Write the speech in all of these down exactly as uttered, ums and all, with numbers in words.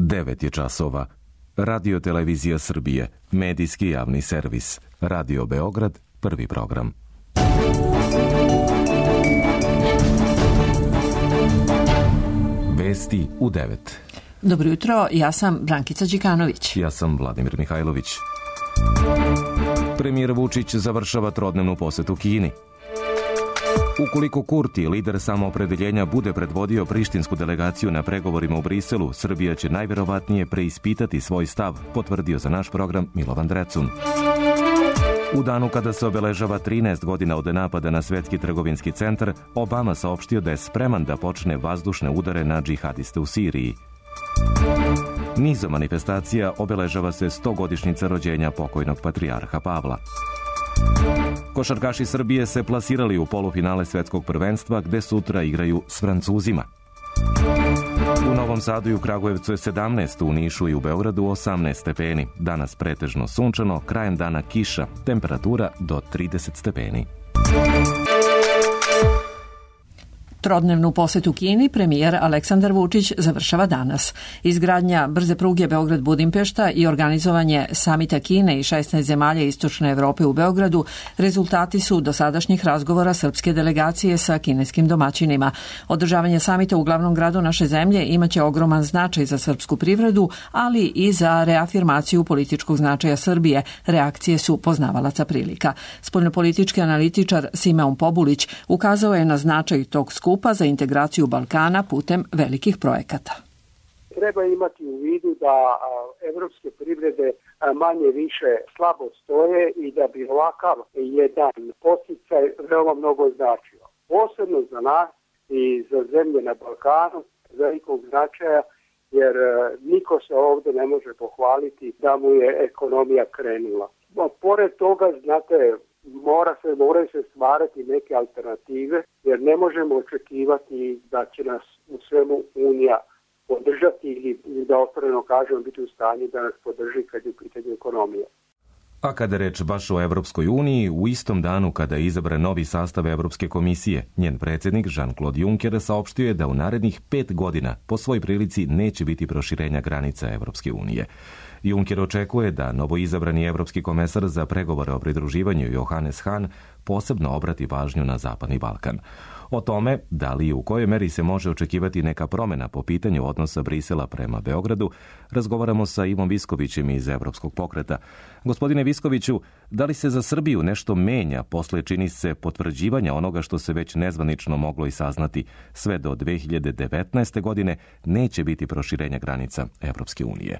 devet je časova. Radio Televizija Srbije, medijski javni servis. Radio Beograd, prvi program. Vesti u devet. Dobro jutro, ja sam Brankica Đikanović. Ja sam Vladimir Mihajlović. Premijer Vučić završava trodnevnu posetu Kini. Ukoliko Kurti, lider samoopredeljenja, bude predvodio prištinsku delegaciju na pregovorima u Briselu, Srbija će najverovatnije preispitati svoj stav, potvrdio za naš program Milovan Drecun. U danu kada se obeležava trinaest godina od napada na Svetski trgovinski centar, Obama saopštio da je spreman da počne vazdušne udare na džihadiste u Siriji. Nizom manifestacija obeležava se stogodišnjica rođenja pokojnog patrijarha Pavla. Košarkaši Srbije se plasirali u polufinale svetskog prvenstva gde sutra igraju s Francuzima. U Novom Sadu i u Kragujevcu je sedamnaest, u Nišu i u Beogradu osamnaest stepeni. Danas pretežno sunčano, krajem dana kiša, temperatura do trideset stepeni. Trodnevnu posetu Kini premijer Aleksandar Vučić završava danas. Izgradnja brze pruge Beograd-Budimpešta i organizovanje samita Kine i šesnaest zemalja Istočne Evrope u Beogradu rezultati su dosadašnjih razgovora srpske delegacije sa kineskim domaćinima. Održavanje samita u glavnom gradu naše zemlje imaće ogroman značaj za srpsku privredu, ali i za reafirmaciju političkog značaja Srbije. Reakcije su poznavalaca prilika. Spoljnopolitički analitičar Simeon Pobulić ukazao je na značaj tog skupa za integraciju Balkana putem velikih projekata. Treba imati u vidu da evropske privrede manje više slabo stoje i da bi ovakav jedan podsticaj veoma mnogo značio. Posebno za nas i za zemlje na Balkanu velikog značaja, jer niko se ovdje ne može pohvaliti da mu je ekonomija krenula. Pored toga, znate, Mora se, moraju se stvarati neke alternative, jer ne možemo očekivati da će nas u svemu Unija podržati ili da otvoreno kažemo biti u stanju da nas podrži kad je u pitanju ekonomije. A kada reč baš o Evropskoj uniji, u istom danu kada je izabran novi sastav Evropske komisije, njen predsjednik Jean-Claude Juncker saopštio je da u narednih pet godina po svoj prilici neće biti proširenja granica Evropske unije. Juncker očekuje da novoizabrani evropski komesar za pregovore o pridruživanju Johannes Hahn posebno obrati pažnju na Zapadni Balkan. O tome, da li i u kojoj meri se može očekivati neka promjena po pitanju odnosa Brisela prema Beogradu, razgovaramo sa Ivom Viskovićem iz Evropskog pokreta. Gospodine Viskoviću, da li se za Srbiju nešto menja posle, čini se, potvrđivanja onoga što se već nezvanično moglo i saznati, sve do dve hiljade devetnaeste. godine neće biti proširenja granica Evropske unije?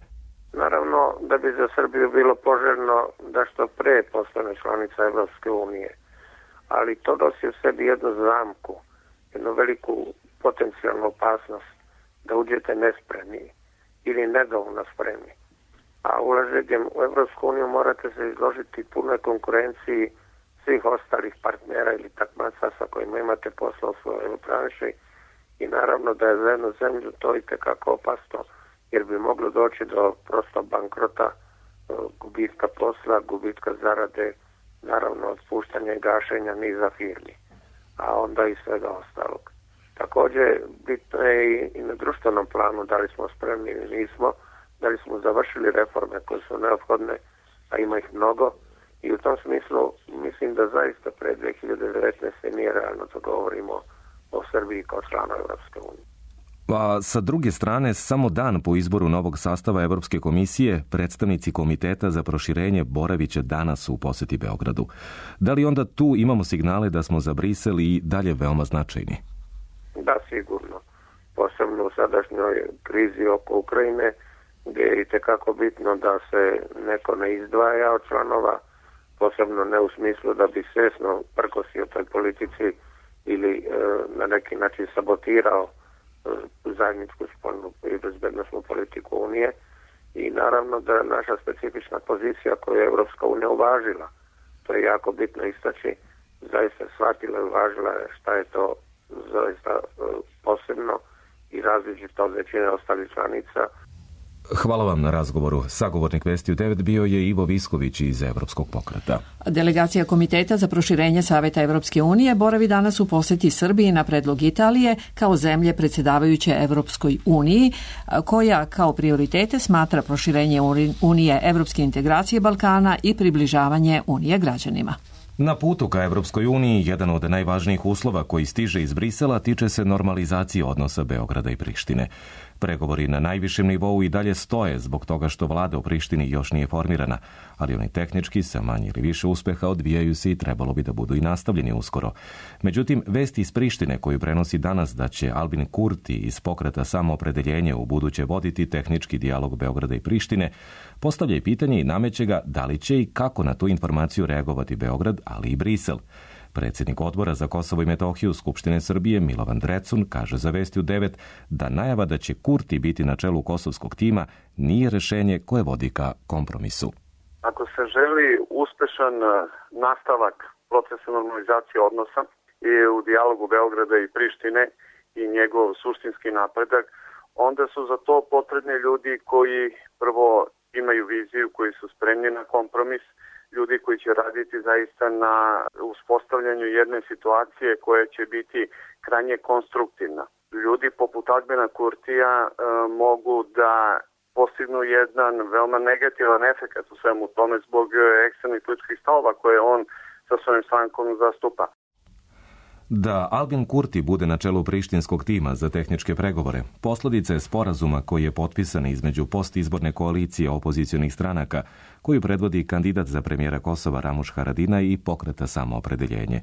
Naravno da bi za Srbiju bilo poželjno da što pre postane članica Evropske unije, ali to nosi u sebi jednu zamku, jednu veliku potencijalnu opasnost da uđete nespremni ili nedovoljno spremni. A ulaženjem u Evropsku uniju morate se izložiti punoj konkurenciji svih ostalih partnera ili takmaca sa kojima imate posla u svojoj branši i naravno da je za jednu zemlju to itekako opasno, jer bi moglo doći do prosto bankrota, gubitka posla, gubitka zarade, naravno otpuštanja i gašenja niza firmi, a onda i svega ostalog. Također, bitno je i na društvenom planu da li smo spremni ili nismo, da li smo završili reforme koje su neophodne, a ima ih mnogo, i u tom smislu mislim da zaista pre dve hiljade devetnaeste. nije realno da govorimo o Srbiji kao članu Evropske unije. A sa druge strane, samo dan po izboru novog sastava Evropske komisije, predstavnici Komiteta za proširenje boraviće danas u poseti Beogradu. Da li onda tu imamo signale da smo za Brisel i dalje veoma značajni? Da, sigurno. Posebno u sadašnjoj krizi oko Ukrajine, gdje je itekako bitno da se neko ne izdvaja od članova, posebno ne u smislu da bi svjesno prkosio toj politici ili e, na neki način sabotirao zajedničku spoljnu i bezbednosnu politiku Unije, i naravno da naša specifična pozicija koju je Evropska unija uvažila, to je jako bitno istaći, zaista shvatila i uvažila šta je to zaista posebno i različito od većine ostalih članica. Hvala vam na razgovoru. Sagovornik Vesti u devet bio je Ivo Visković iz Evropskog pokreta. Delegacija Komiteta za proširenje Saveta Evropske unije boravi danas u poseti Srbiji na predlog Italije kao zemlje predsjedavajuće Evropskoj uniji, koja kao prioritete smatra proširenje Unije, evropske integracije Balkana i približavanje Unije građanima. Na putu ka Evropskoj uniji, jedan od najvažnijih uslova koji stiže iz Brisela tiče se normalizacije odnosa Beograda i Prištine. Pregovori na najvišem nivou i dalje stoje zbog toga što vlada u Prištini još nije formirana, ali oni tehnički sa manje ili više uspeha odvijaju se i trebalo bi da budu i nastavljeni uskoro. Međutim, vesti iz Prištine koju prenosi danas da će Albin Kurti iz pokreta Samoopredeljenje u buduće voditi tehnički dijalog Beograda i Prištine, postavlja i pitanje i nameće ga da li će i kako na tu informaciju reagovati Beograd, ali i Brisel. Predsjednik odbora za Kosovo i Metohiju Skupštine Srbije Milovan Drecun kaže za Vesti u devet da najava da će Kurti biti na čelu kosovskog tima nije rešenje koje vodi ka kompromisu. Ako se želi uspešan nastavak procesa normalizacije odnosa i u dijalogu Beograda i Prištine i njegov suštinski napredak, onda su za to potrebni ljudi koji prvo imaju viziju, koji su spremni na kompromis, ljudi koji će raditi zaista na uspostavljanju jedne situacije koja će biti krajnje konstruktivna. Ljudi poput Albina Kurtija e, mogu da postignu jedan veoma negativan efekt u svemu tome zbog ekstremnih političkih stavova koje on sa svojim strankom zastupa. Da Albin Kurti bude na čelu prištinskog tima za tehničke pregovore, posljedica je sporazuma koji je potpisan između postizborne koalicije opozicionih stranaka, koju predvodi kandidat za premijera Kosova Ramuš Haradinaj i pokreta Samoopredeljenje.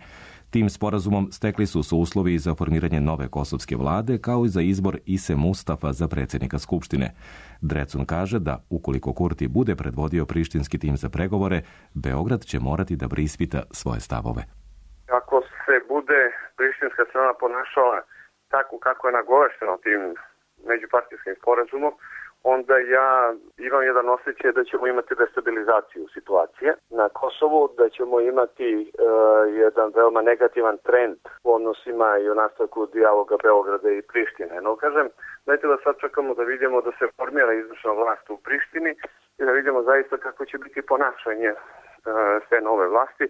Tim sporazumom stekli su se uslovi za formiranje nove kosovske vlade, kao i za izbor Ise Mustafa za predsjednika Skupštine. Drecun kaže da, ukoliko Kurti bude predvodio prištinski tim za pregovore, Beograd će morati da preispita svoje stavove. Ako se bude prištinska strana ponašala tako kako je nagovešteno tim međupartijskim sporazumom, onda ja imam jedan osjećaj da ćemo imati destabilizaciju situacije na Kosovu, da ćemo imati e, jedan veoma negativan trend u odnosima i u nastavku dijaloga Beograda i Prištine. No, kažem, dajte da sad čekamo da vidimo da se formira izvršna vlast u Prištini i da vidimo zaista kako će biti ponašanje e, sve nove vlasti.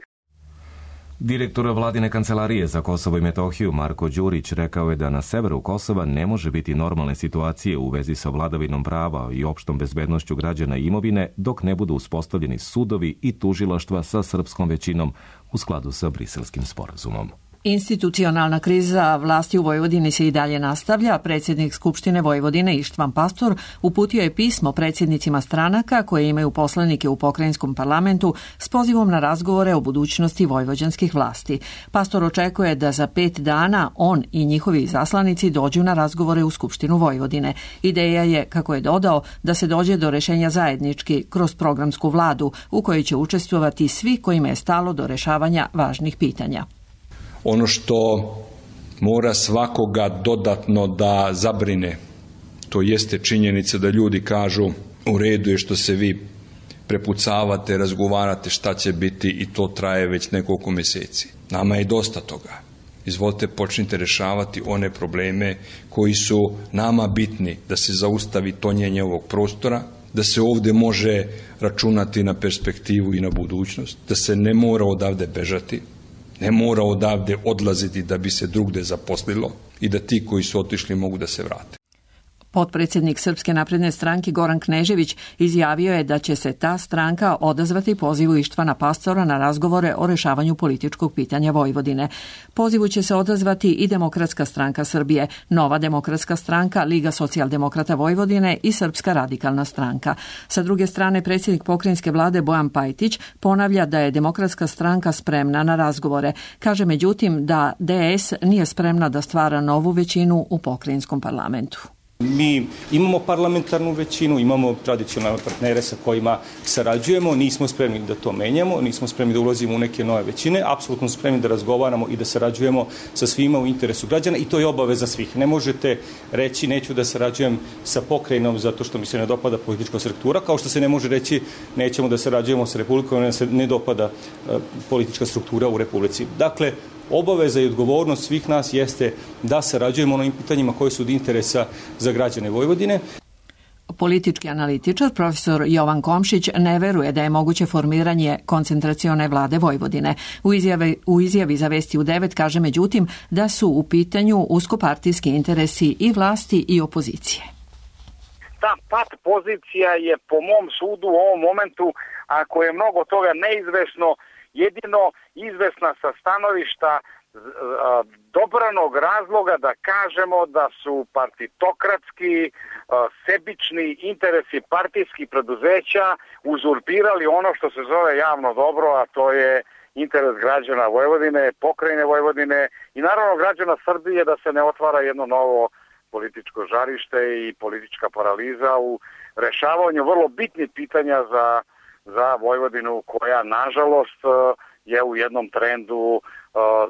Direktor vladine kancelarije za Kosovo i Metohiju Marko Đurić rekao je da na severu Kosova ne može biti normalne situacije u vezi sa vladavinom prava i opštom bezbednošću građana i imovine dok ne budu uspostavljeni sudovi i tužilaštva sa srpskom većinom u skladu sa Briselskim sporazumom. Institucionalna kriza vlasti u Vojvodini se i dalje nastavlja. Predsjednik Skupštine Vojvodine Ištvan Pastor uputio je pismo predsjednicima stranaka koje imaju poslanike u pokrajinskom parlamentu s pozivom na razgovore o budućnosti vojvođanskih vlasti. Pastor očekuje da za pet dana on i njihovi zaslanici dođu na razgovore u Skupštinu Vojvodine. Ideja je, kako je dodao, da se dođe do rešenja zajednički kroz programsku vladu u kojoj će učestvovati svi kojima je stalo do rešavanja važnih pitanja. Ono što mora svakoga dodatno da zabrine, to jeste činjenica da ljudi kažu u redu je što se vi prepucavate, razgovarate šta će biti i to traje već nekoliko mjeseci. Nama je dosta toga. Izvolite, počnite rešavati one probleme koji su nama bitni, da se zaustavi tonjenje ovog prostora, da se ovdje može računati na perspektivu i na budućnost, da se ne mora odavde bežati, ne mora odavde odlaziti da bi se drugde zaposlilo i da ti koji su otišli mogu da se vrate. Potpredsjednik Srpske napredne stranke Goran Knežević izjavio je da će se ta stranka odazvati pozivu Ištvana Pastora na razgovore o rešavanju političkog pitanja Vojvodine. Pozivu će se odazvati i Demokratska stranka Srbije, Nova demokratska stranka, Liga socijaldemokrata Vojvodine i Srpska radikalna stranka. Sa druge strane, predsjednik pokrajinske vlade Bojan Pajtić ponavlja da je Demokratska stranka spremna na razgovore. Kaže međutim da D S nije spremna da stvara novu većinu u pokrajinskom parlamentu. Mi imamo parlamentarnu većinu, imamo tradicionalne partnere sa kojima sarađujemo, nismo spremni da to menjamo, nismo spremni da ulazimo u neke nove većine, apsolutno spremni da razgovaramo i da sarađujemo sa svima u interesu građana i to je obaveza svih. Ne možete reći neću da sarađujem sa pokrajinom zato što mi se ne dopada politička struktura, kao što se ne može reći nećemo da sarađujemo sa Republikom jer se ne dopada uh, politička struktura u Republici. Dakle, obaveza i odgovornost svih nas jeste da sarađujemo na ovim pitanjima koji su od interesa za građane Vojvodine. Politički analitičar profesor Jovan Komšić ne veruje da je moguće formiranje koncentracione vlade Vojvodine. U izjavi, u izjavi za Vesti u devet kaže međutim da su u pitanju uskopartijski interesi i vlasti i opozicije. Ta pat pozicija je po mom sudu u ovom momentu, ako je mnogo toga neizvesno, jedino izvesna sa stanovišta dobranog razloga da kažemo da su partitokratski, sebični interesi partijskih preduzeća uzurpirali ono što se zove javno dobro, a to je interes građana Vojvodine, pokrajine Vojvodine i naravno građana Srbije, da se ne otvara jedno novo političko žarište i politička paraliza u rešavanju vrlo bitnih pitanja za, za Vojvodinu, koja nažalost je u jednom trendu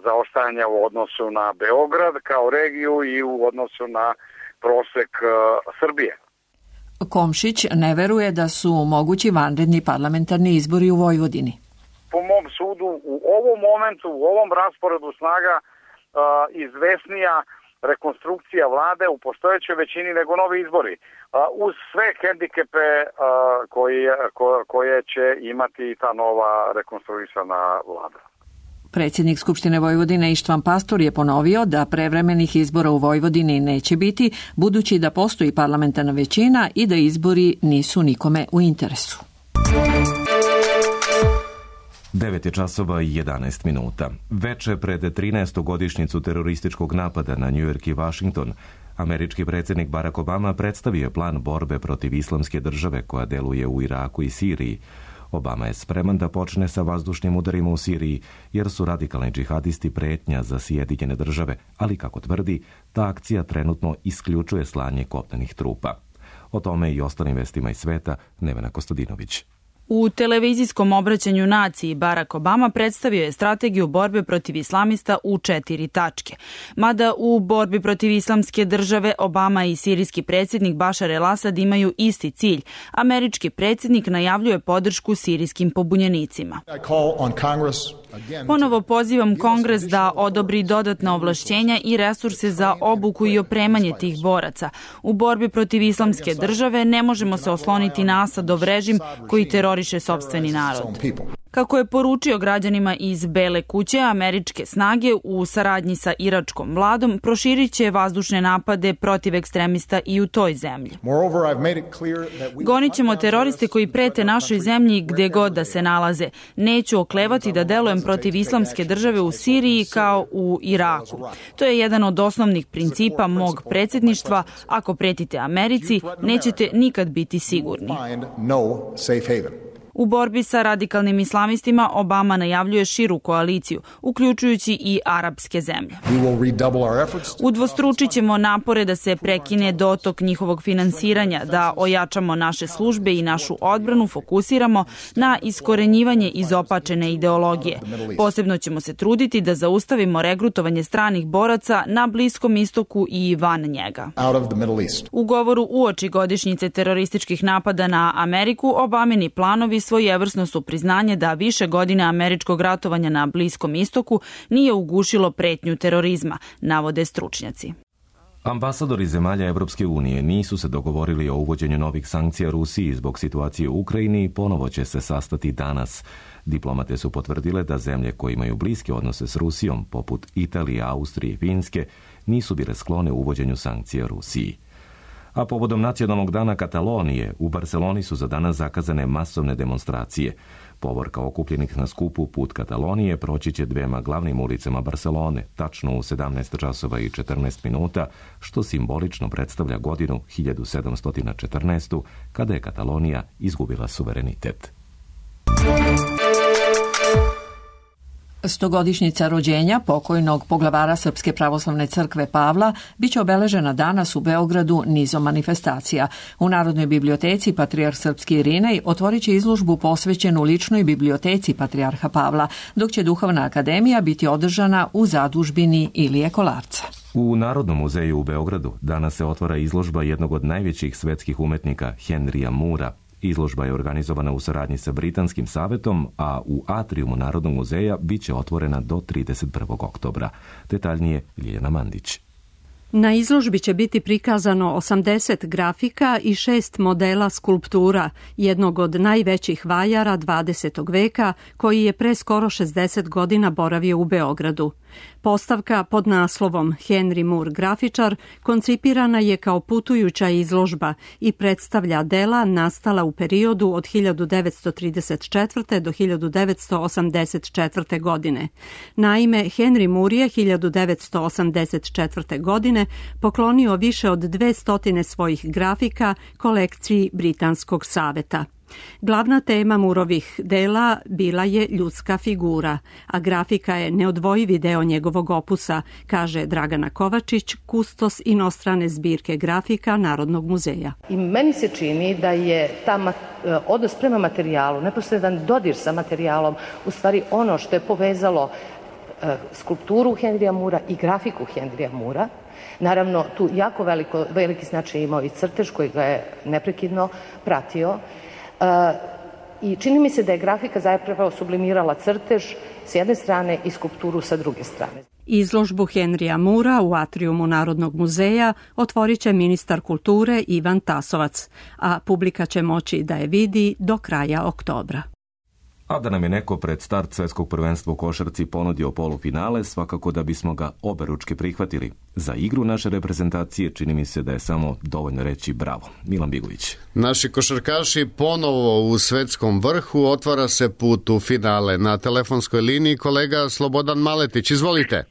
zaostajanja u odnosu na Beograd kao regiju i u odnosu na prosek Srbije. Komšić ne veruje da su mogući vanredni parlamentarni izbori u Vojvodini. Po mom sudu u ovom momentu, u ovom rasporedu snaga izvesnija rekonstrukcija vlade u postojećoj većini nego novi izbori, uz sve hendikepe koje, koje će imati ta nova rekonstruisana vlada. Predsjednik Skupštine Vojvodine Ištvan Pastor je ponovio da prevremenih izbora u Vojvodini neće biti, budući da postoji parlamentarna većina i da izbori nisu nikome u interesu. devet je časova i jedanaest minuta. Veče pred trinaestu godišnjicu terorističkog napada na New York i Washington, američki predsjednik Barack Obama predstavio je plan borbe protiv islamske države koja deluje u Iraku i Siriji. Obama je spreman da počne sa vazdušnim udarima u Siriji, jer su radikalni džihadisti pretnja za Sjedinjene države, ali kako tvrdi, ta akcija trenutno isključuje slanje kopnenih trupa. O tome i ostalim vestima iz sveta Nevena Kostadinović. U televizijskom obraćanju naciji Barack Obama predstavio je strategiju borbe protiv islamista u četiri tačke. Mada u borbi protiv islamske države Obama i sirijski predsjednik Bašar el-Asad imaju isti cilj, američki predsjednik najavljuje podršku sirijskim pobunjenicima. Ponovo pozivam Kongres da odobri dodatna ovlašćenja i resurse za obuku i opremanje tih boraca. U borbi protiv islamske države ne možemo se osloniti na Asadov režim koji teroriše sopstveni narod. Kako je poručio građanima iz Bele kuće, američke snage u saradnji sa iračkom vladom proširit će vazdušne napade protiv ekstremista i u toj zemlji. Gonit ćemo teroriste koji prete našoj zemlji gde god da se nalaze. Neću oklevati da delujem protiv islamske države u Siriji kao u Iraku. To je jedan od osnovnih principa mog predsjedništva. Ako pretite Americi, nećete nikad biti sigurni. U borbi sa radikalnim islamistima Obama najavljuje širu koaliciju, uključujući i arapske zemlje. Udvostručit ćemo napore da se prekine dotok njihovog finansiranja, da ojačamo naše službe i našu odbranu fokusiramo na iskorenjivanje izopačene ideologije. Posebno ćemo se truditi da zaustavimo regrutovanje stranih boraca na Bliskom istoku i van njega. U govoru uoči godišnjice terorističkih napada na Ameriku, Obamini planovi svojevrsno su priznanje da više godina američkog ratovanja na Bliskom istoku nije ugušilo pretnju terorizma, navode stručnjaci. Ambasadori zemalja Evropske unije nisu se dogovorili o uvođenju novih sankcija Rusiji zbog situacije u Ukrajini i ponovo će se sastati danas. Diplomate su potvrdile da zemlje koje imaju bliske odnose s Rusijom, poput Italije, Austrije i Finske, nisu bile sklone uvođenju sankcija Rusiji. A povodom nacionalnog dana Katalonije, u Barceloni su za danas zakazane masovne demonstracije. Povorka okupljenih na skupu Put Katalonije proći će dvema glavnim ulicama Barcelone, tačno u sedamnaest časova i četrnaest minuta, što simbolično predstavlja godinu hiljadu sedamsto četrnaeste. kada je Katalonija izgubila suverenitet. Stogodišnjica rođenja pokojnog poglavara Srpske pravoslavne crkve Pavla biće obeležena danas u Beogradu nizom manifestacija. U Narodnoj biblioteci Patrijarh Srpski Irinej otvorit će izložbu posvećenu ličnoj biblioteci Patrijarha Pavla, dok će Duhovna akademija biti održana u zadužbini Ilije Kolarca. U Narodnom muzeju u Beogradu danas se otvara izložba jednog od najvećih svetskih umetnika Henrya Moora. Izložba je organizovana u saradnji sa Britanskim savetom, a u atrijumu Narodnog muzeja bit će otvorena do trideset prvog oktobra. Detaljnije Ljiljana Mandić. Na izložbi će biti prikazano osamdeset grafika i šest modela skulptura, jednog od najvećih vajara dvadesetog veka, koji je pre skoro šezdeset godina boravio u Beogradu. Postavka pod naslovom Henry Moore grafičar koncipirana je kao putujuća izložba i predstavlja dela nastala u periodu od hiljadu devetsto trideset četvrte. do hiljadu devetsto osamdeset četvrte. godine. Naime, Henry Moore je hiljadu devetsto osamdeset četvrte. godine poklonio više od dvestotine svojih grafika kolekciji Britanskog saveta. Glavna tema Moorovih dela bila je ljudska figura, a grafika je neodvojivi deo njegovog opusa, kaže Dragana Kovačić, kustos inostrane zbirke grafika Narodnog muzeja. I meni se čini da je ta odnos prema materijalu, neposredan dodir sa materijalom, u stvari ono što je povezalo skulpturu Henrya Moorea i grafiku Henrya Moorea. Naravno, tu jako veliko, veliki značaj imao i crtež koji ga je neprekidno pratio. Uh, I čini mi se da je grafika zapravo sublimirala crtež s jedne strane i skulpturu sa druge strane. Izložbu Henrya Moorea u atrijumu Narodnog muzeja otvorit će ministar kulture Ivan Tasovac, a publika će moći da je vidi do kraja oktobra. A da nam je neko pred start svetskog prvenstva u košarci ponudio polufinale, svakako da bismo ga oberučke prihvatili. Za igru naše reprezentacije čini mi se da je samo dovoljno reći bravo. Milan Bigović. Naši košarkaši ponovo u svetskom vrhu, otvara se put u finale. Na telefonskoj liniji kolega Slobodan Maletić, izvolite.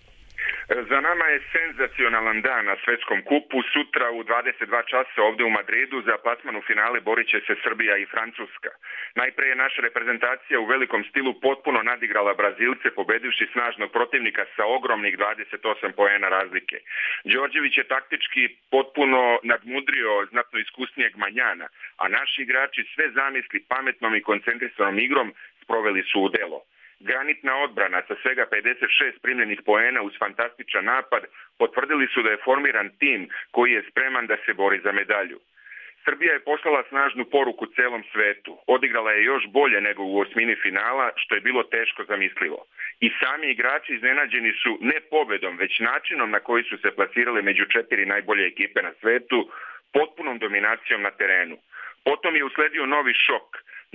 Za nama je senzacionalan dan na svetskom kupu. Sutra u dvadeset dva časa ovde u Madridu za plasman u finale borit će se Srbija i Francuska. Najpre je naša reprezentacija u velikom stilu potpuno nadigrala Brazilce, pobedivši snažnog protivnika sa ogromnih dvadeset osam poena razlike. Đorđević je taktički potpuno nadmudrio znatno iskusnijeg Manjana, a naši igrači sve zamisli pametnom i koncentrisanom igrom sproveli su u delo. Granitna odbrana sa svega pedeset šest primljenih poena uz fantastičan napad potvrdili su da je formiran tim koji je spreman da se bori za medalju. Srbija je poslala snažnu poruku celom svetu. Odigrala je još bolje nego u osmini finala, što je bilo teško zamislivo. I sami igrači iznenađeni su ne pobedom, već načinom na koji su se plasirali među četiri najbolje ekipe na svetu, potpunom dominacijom na terenu. Potom je usledio novi šok.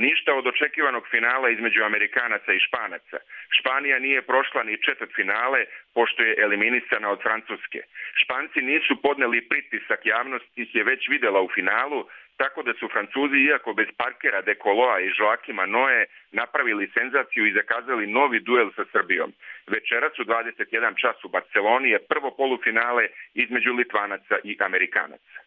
Ništa od očekivanog finala između Amerikanaca i Španaca. Španija nije prošla ni četvrtfinale, pošto je eliminisana od Francuske. Španci nisu podneli pritisak, javnost ih je već videla u finalu, tako da su Francuzi, iako bez Parkera, De Coloa i Joakima Noe, napravili senzaciju i zakazali novi duel sa Srbijom. Večeras u dvadeset jedan čas u Barceloni je prvo polufinale između Litvanaca i Amerikanaca.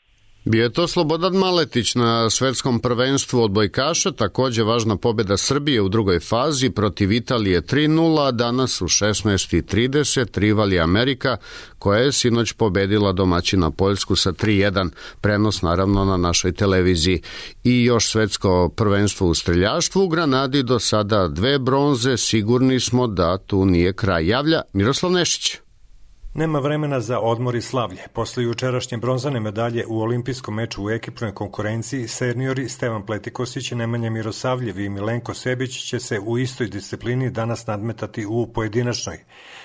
Bio je to Slobodan Maletić na svetskom prvenstvu odbojkaša, također važna pobjeda Srbije u drugoj fazi protiv Italije tri nula, danas u šesnaest i trideset rival je Amerika koja je sinoć pobedila domaćina Poljsku sa tri jedan, prenos naravno na našoj televiziji. I još svetsko prvenstvo u streljaštvu, u Granadi do sada dve bronze, sigurni smo da tu nije kraj. Javlja Miroslav Nešić. Nema vremena za odmor i slavlje. Posle jučerašnje bronzane medalje u olimpijskom meču u ekipnoj konkurenciji, seniori Stevan Pletikosić, Nemanja Mirosavljev i Milenko Sebić će se u istoj disciplini danas nadmetati u pojedinačnoj.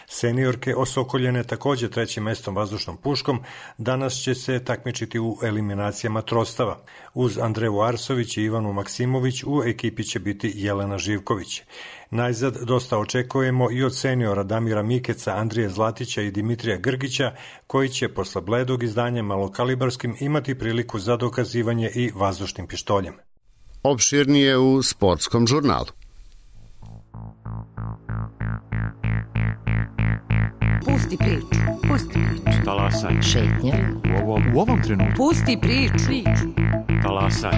Seniorke osokoljene također trećim mestom vazdušnom puškom danas će se takmičiti u eliminacijama trostava. Uz Andreju Arsović i Ivanu Maksimović u ekipi će biti Jelena Živković. Najzad dosta očekujemo i od seniora Damira Mikeca, Andrije Zlatića i Dimitrija Grgića, koji će posle bledog izdanja malokalibarskim imati priliku za dokazivanje i vazdušnim pištoljem. Opširnije u sportskom žurnalu. Pusti priču, pusti priču. Talasaj. Šetnja. U ovom, u ovom trenutku. Pusti priču. Talasaj.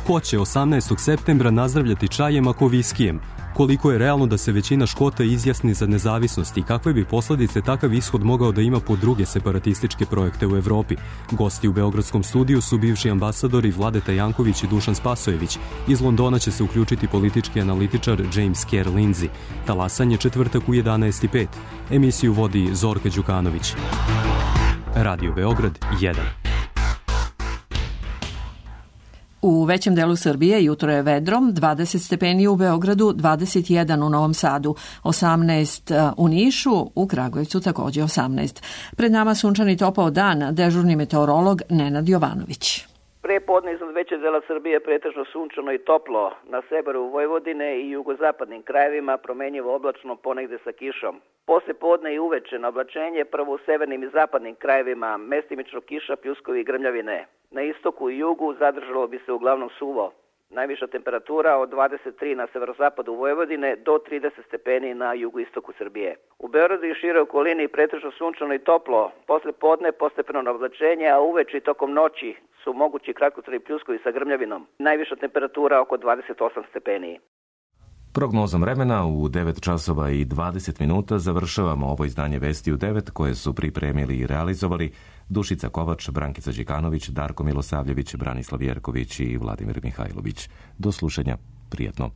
Ko će osamnaestog septembra nazdravljati čajem ako viskijem? Koliko je realno da se većina Škota izjasni za nezavisnost i kakve bi posledice takav ishod mogao da ima po druge separatističke projekte u Evropi? Gosti u Beogradskom studiju su bivši ambasadori Vladeta Janković i Dušan Spasojević. Iz Londona će se uključiti politički analitičar James Kerr Lindsay. Talasanje četvrtak u jedanaest i pet. Emisiju vodi Zorka Đukanović. Radio Beograd jedan. U većem delu Srbije jutro je vedro, dvadeset stepeni u Beogradu, dvadeset jedan u Novom Sadu, osamnaest u Nišu, u Kragujevcu takođe osamnaest. Pred nama sunčani topao dan, dežurni meteorolog Nenad Jovanović. Pre podne iznad većeg dela Srbije pretežno sunčano i toplo, na severu Vojvodine i jugozapadnim krajevima promenjivo oblačno ponegde sa kišom. Posle podne i uveče na oblačenje, prvo u severnim i zapadnim krajevima, mestimično kiša, pljuskovi i grmljavine. Na istoku i jugu zadržalo bi se uglavnom suvo. Najviša temperatura od dvadeset tri na severozapadu Vojvodine do trideset stepeni na jugoistoku Srbije. U Beogradu i šire okolini pretežno sunčano i toplo, posle podne postepeno na oblačenje, a uveče i tokom noći su mogući kratkotrajni pljuskovi sa grmljavinom. Najviša temperatura oko dvadeset osam stepeni. Prognozom vremena u devet časova i dvadeset minuta završavamo ovo izdanje Vesti u devet koje su pripremili i realizovali Dušica Kovač, Brankica Đikanović, Darko Milosavljević, Branislav Jerković i Vladimir Mihajlović. Do slušanja. Prijetno.